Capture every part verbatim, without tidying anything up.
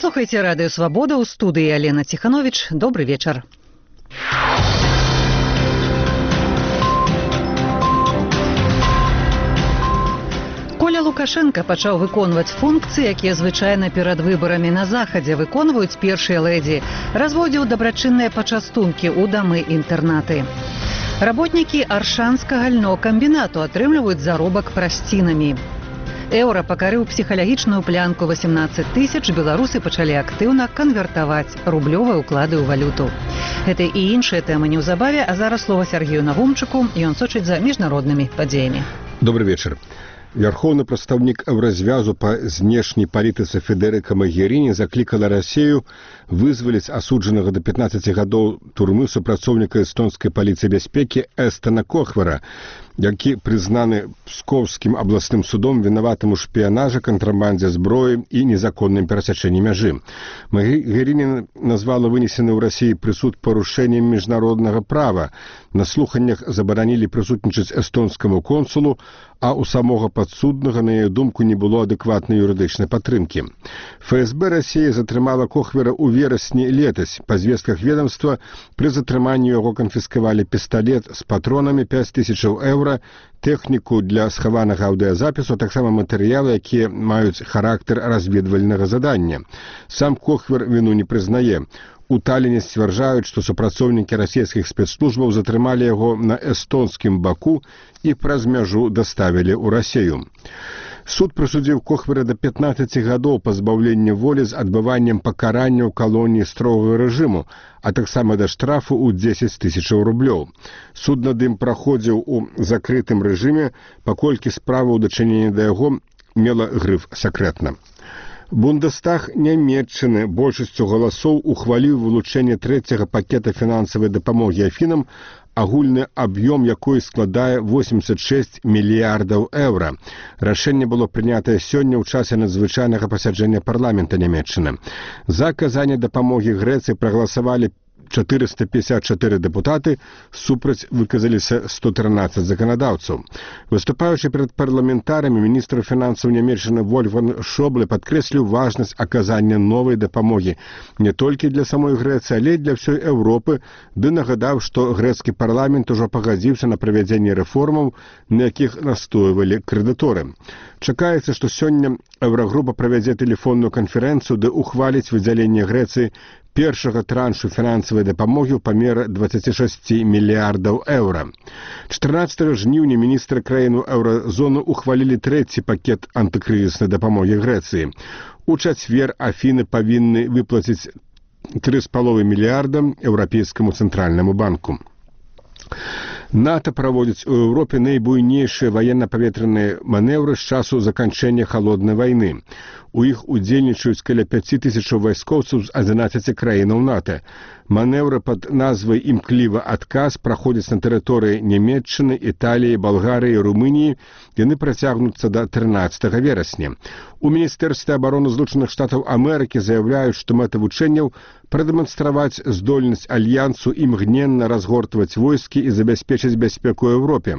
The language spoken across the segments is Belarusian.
слухаеце радыё «Свабода», у студыі Алена Ціхановіч. Добры вечар. Коля Лукашенко пачаў выконваць функцыі, якія звычайна перад выбарамі на захадзе выконваюць першыя лэдзі. Разводзіў дабрачынныя пачастункі ў дамы-інтэрнаты. Работнікі Аршанскага льнокамбінату атрымліваюць заробак прасцінамі. Еўра пакарыў псіхалагічную плянку васемнаццаць тысяч, беларусы пачалі актыўна канвертаваць рублёвыя ўклады ў валюту. Гэта і іншыя тэмы неўзабаве, а зараз слова Сергею Нагумчыку, ён сочыць за міжнароднымі падзеямі. Добрый вечер. Вярхоўны прадстаўнік Еўразвязу па знешняй палітыцы Федэрыка Магеріні заклікала Расію вызваліць асуджанага да пятнаццаці гадоў турмы супрацоўніка эстонскай паліцыі бяспекі Эстена Кохвера, які прызнаны Пскоўскім абласным судом вінаватым у шпіянажы, кантрабандзе зброі і незаконным перасячэнні мяжы. Магеріні назвала вынесены ў Расіі прысуд парушэннем міжнароднага права. На слуханнях забаранілі прысутнічаць эстонскаму консулу, а у самога падсуднага, на яе думку, не было адэкватнай юрыдычнай падтрымкі. ФСБ Расіі затрымала Кохвера ў верасні летась. Па звестках ведомства, пры затрыманні яго канфіскавалі пісталет з патронамі пяць тысячаў еўра, тэхніку для схаванага аўдыязапісу, а таксама матэрыялы, якія маюць характар разведвальнага задання. Сам Кохвер віну не прызнае. У Таліне сцвярджаюць, што супрацоўнікі расійскіх спецслужбаў затрымалі яго на эстонскім баку і праз мяжу даставілі ў Расію. Суд прысудзіў Кохвера да пятнаццаці гадоў пазбаўлення волі з адбываннем пакарання ў калоніі строгага рэжыму, а таксама да штрафу ў дзесяць тысячаў рублёў. Суд над ім праходзіў у закрытым рэжыме, паколькі справа ў дачыненні да яго мела грыф «сакрэтна». Бундестаг Нямецчыны большасцю галасоў ухваліў вылучэнне трэцяга пакета фінансавай дапамогі Афінам, агульны аб'ём якой складае восемьдесят шесть мільярдаў еўра. Рашэнне было прынятае сёння ў часе надзвычайнага пасяджэння парламента Нямецчыны. За аказанне дапамогі Грэцыі прагаласавалі чатырыста пятьдесят чатыры дэпутаты, супраць выказаліся сто трынаццаць заканадаўцаў. Выступаючы перад парламентарамі, міністр фінансаў Нямецчыны Вольфганг Шобле падкрэсліў важнасць аказання новай дапамогі не толькі для самой Грэцыі, але і для ўсёй Еўропы, ды нагадаў, што грэцкі парламент ужо пагадзіўся на правядзенне рэформаў, на якіх настойвалі крэдыторы. Чакаецца, што сёння Еўрагрупа правядзе тэлефонную канферэнцыю, ды ухваліць выдзяленне Грэцыі першага траншу фінансавай дапамогі ў памеры двадцать шесть мільярдаў еўра. чатырнаццатага жніўня міністры краін еўразоны ухвалілі трэці пакет антыкрызіснай дапамогі Грэцыі. У чацвер Афіны павінны выплаціць тры з паловай мільярда Еўрапейскаму цэнтральнаму банку. НАТО праводзіць у Еўропе найбуйнейшыя ваенна-паветраныя манеўры з часу заканчэння халоднай вайны. У іх удзельнічаюць каля пяць тысяч вайскоўцаў з адзінаццаці краінаў НАТО. Манеўры пад назвай «Імклівы адказ» праходзяць на тэрыторыі Нямецчыны, Італіі, Балгарыі і Румыніі. Яны працягнуцца да трынаццатага верасня. У Міністэрстве абароны Злучаных Штатаў Амерыкі заяўляюць, што мэта вучэнняў прадэманстраваць здольнасць альянсу імгненна разгортваць войскі і забяспечыць бяспеку ў Еўропе.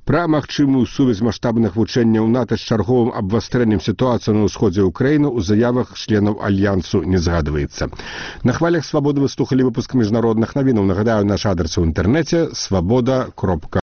Пра магчымую сувязь маштабных вучэнняў НАТО з чарговым абвастрэннем сітуацыі на ўсходзе Украіны ў заявах членаў альянсу не згадваецца. На хвалях «Свабоды» вы слухалі выпуск міжнародных навінаў. Нагадаю, наш адрес у інтэрнэце свабода кропка